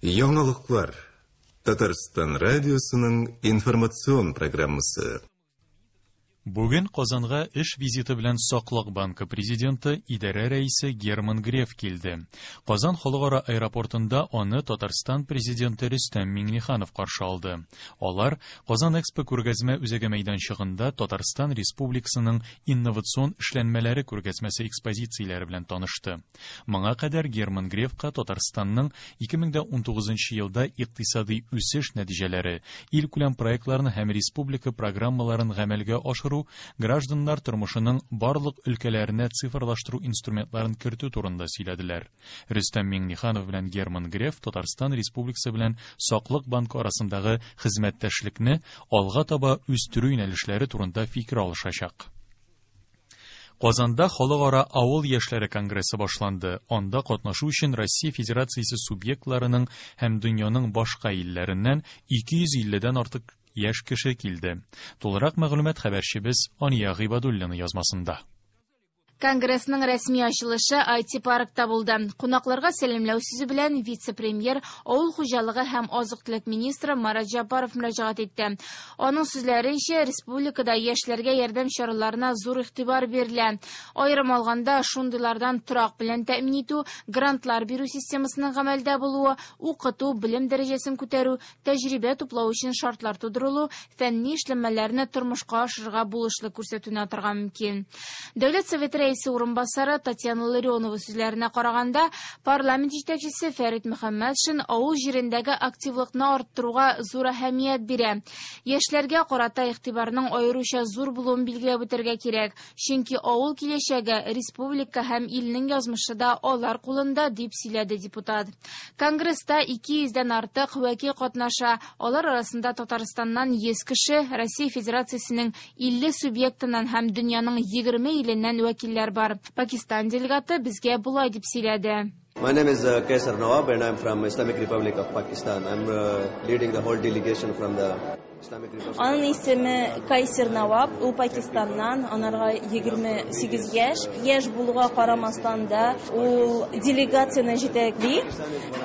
Яңалыклар. Татарстан радиосының информацион программасы. Бүген Казанга эш визиты белән Саклык банкы президенты, идарә рәисе Герман Греф килде. Казан халыкара аэропортында аны Татарстан президенты Рөстәм Миңнеханов каршы алды. Алар Казан Экспо күргәзмә үзәге мәйданчыгында Татарстан Республикасының инновацион эшләнмәләре күргәзмәсе экспозицияләре белән танышты. Моңа кадәр Герман Грефка Татарстанның 2019 елда икътисадый үсеш нәтиҗәләре, илкүләм проектларны һәм республика программаларын гамәлгә ашыру, гражданнар тормышының барлык өлкәләренә цифрлаштыру инструментларын кертү турында сөйләделәр. Рөстәм Миңнеханов белән Герман Греф Татарстан Республикасы белән Саклык банкы арасындагы хезмәттәшлекне алга таба үстерү юнәлешләре турында фикер алышачак. Казанда Халыкара авыл яшьләре конгрессы башланды. Анда катнашу өчен Россия Федерациясе субъектларының һәм дөньяның башка илләреннән 250 дән артык яшь кеше килде. Тулырак мәгълүмат хәбәрчебез Ания Гыйбадуллина язмасында. Конгрессның рәсми ачылышы IT-паркта булды. Кунакларга сәламләү сүзе белән вице-премьер, авыл хуҗалыгы һәм азык-төлек министры Марат Җәббаров мөрәҗәгать итте. Аның сүзләренчә, республикада яшьләргә ярдәм чараларына зур игътибар бирелә. Аерым алганда, шундыйлардан торак белән тәэмин итү, грантлар бирү системасының гамәлдә булуы, укыту, белем дәрәҗәсен күтәрү, тәҗрибә туплау өчен шартлар тудырылу, фәнни эшләнмәләрне тормышка ашырырга булышлык күрсәтүне атарга мөмкин. Дәүләт Советы рәисе урынбасары Татьяна Ларионова сүзләренә караганда, парламент җитәкчесе Фәрит Мөхәммәтшин авыл җирендәге активлыкны арттыруга зур әһәмият бирә. Яшьләргә карата игътибарның аеруча зур булуын билгеләп үтәргә кирәк, чөнки авыл киләчәге, республика һәм илнең язмышы да алар кулында, дип сөйләде депутат. Конгресста 200 дән артык вәкил катнаша. Алар арасында Татарстаннан 100 кеше, Россия Федерациясенең 50 субъектыннан һәм дөньяның 20 иленнән вәкилләр бар. Пакистан делегаты безгә болай дип сөйләде. My name is Kaisar Nawab and I'm from Islamic Republic of Pakistan. I'm leading the whole delegation from the Islamic Republic. Аның исеме Кайсер Наваб, ул Пакистаннан, анарга 28 яшь. Яшь булуга карамастан да ул делегацияне җитәкли.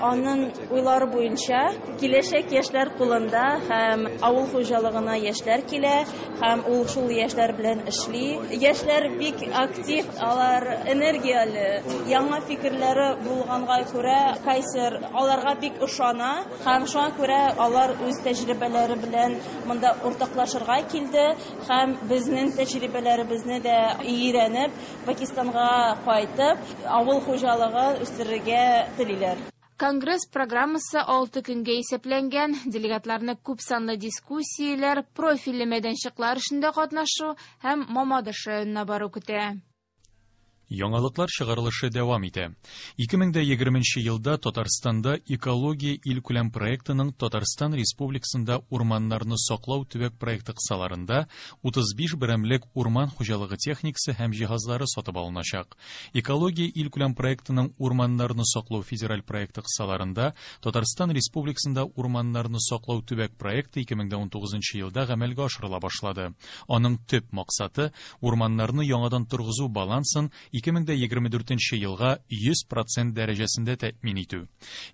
Аның уйлары буенча киләчәк яшьләр кулында һәм авыл хуҗалыгына яшьләр килә һәм ул шул яшьләр белән эшли. Яшьләр бик актив, алар энергияле, яңа фикерләре булганга күрә Кайсер аларга бик ышана һәм шуңа күрә алар үз тәҗрибәләре белән монда уртаклашырга килде һәм безнең тәҗрибәләребезне дә өйрәнеп, Пакистанга кайтып, авыл хуҗалыгы үстерергә телиләр. Конгресс программасы 6 көнгә исәпләнгән. Делегатларны күп санлы дискуссияләр, профильле мәйданчыклар эшендә катнашу һәм Мамадыш районына бару көтә. Яңалыклар чыгарылышы дәвам итә. 2020 елда Татарстанда Экология илкүләм проектының Татарстан Республикасында урманнарны саклау төбәк проекты кысаларында 35 берәмлек урман хуҗалыгы техникасы һәм җиһазлары сатып алыначак. Экология илкүләм проектының урманнарны саклау федераль проекты кысаларында Татарстан Республикасында урманнарны саклау төбәк проекты 2019 елда гамәлгә ашырыла башлады. Аның төп максаты урманнарны яңадан торгызу балансын 2024 елга 100% дәрәҗәсендә тәэмин итү.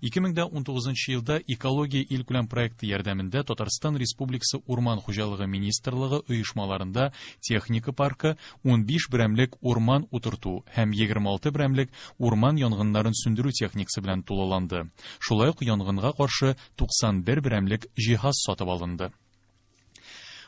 2019 елда Экология илкүләм проекты ярдәмендә Татарстан Республикасы Урман хуҗалыгы министрлыгы оешмаларында техника паркы 15 берәмлек урман утырту һәм 26 берәмлек урман янгыннарын сүндерү техникасы белән тулыланды. Шулай ук янгынга каршы 91 берәмлек җиһаз сатып алынды.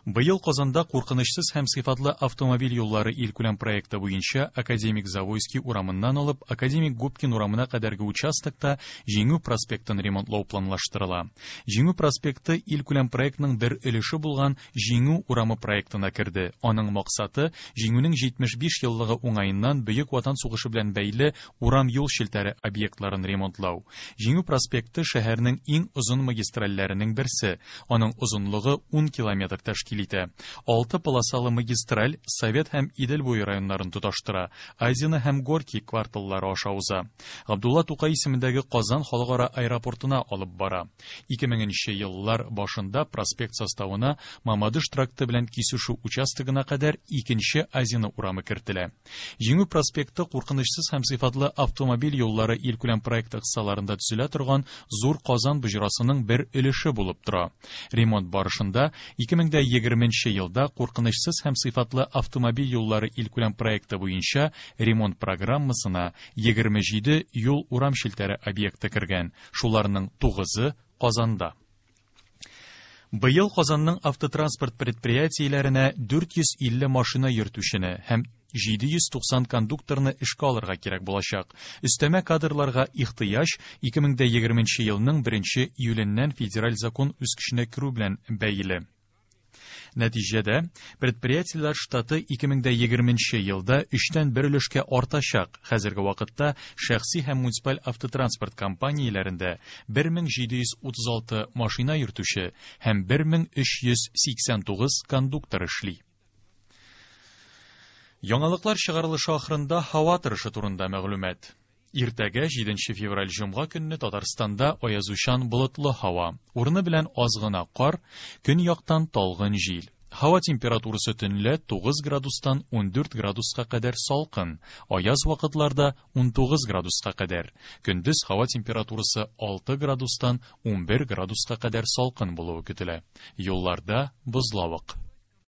Быел Казанда куркынычсыз һәм сыйфатлы автомобиль юллары илкүләм проекты буенча Академик Завойский урамыннан алып Академик Губкин урамына кадәрге участокта Җиңү проспектын ремонтлау планлаштырыла. Җиңү проспекты илкүләм проектның бер өлеше булган Җиңү урамы проектына керде. Аның максаты Җиңүнең 75 еллыгы уңаеннан Бөек Ватан сугышы белән бәйле урам юл челтәре объектларын ремонтлау. Җиңү проспекты шәһәрнең иң озын магистральләренең берсе. Аның озынлыгы 10 километр тәшкил тәшкил итә. Алты полосалы магистраль Совет һәм Идел буе районнарын тоташтыра, Азино һәм Горький кварталлары аша уза. Габдулла Тукай исемендәге Казан халыкара аэропортына алып бара. 2000 нче еллар башында проспект составына Мамадыш тракты белән кисешү участогына кадәр икенче Азино урамы кертелә. Җиңү проспекты куркынычсыз һәм сыйфатлы автомобиль юллары илкүләм проекты кысаларында төзелә торган Зур Казан боҗрасының бер өлеше булып тора. Ремонт барышында 2020 нче елда куркынычсыз һәм сыйфатлы автомобиль юллары илкүләм проекты буенча ремонт программасына 27 юл-урам челтәре объекты кергән, шуларның тугызы Казанда. Быел Казанның автотранспорт предприятиеләренә 450 машина йөртүчене һәм 790 кондукторны эшкә алырга кирәк булачак. Өстәмә кадрларга ихтыяҗ 2020 елның 1 июленнән федераль закон үз көченә керү белән бәйле. Нәтиҗәдә, предприятиеләр штаты 2020 елда өчтән бер өлешкә артачак. Хәзерге вакытта шәхси һәм муниципаль автотранспорт компанияләрендә 1736 машина йөртүче һәм 1389 кондуктор эшли. Яңалыклар чыгарылышы ахырында һава торышы турында мәгълүмат. Иртәгә 7 февраль җомга көнне Татарстанда аязучан болытлы һава, урыны белән аз гына кар, көньяктан талгын җил. Һава температурасы төнлә 9 градустан 14 градуска кадәр салкын, аяз вакытларда 19 градуска кадәр. Көндез һава температурасы 6 градустан 11 градуска кадәр салкын булуы көтелә. Юлларда бозлавык.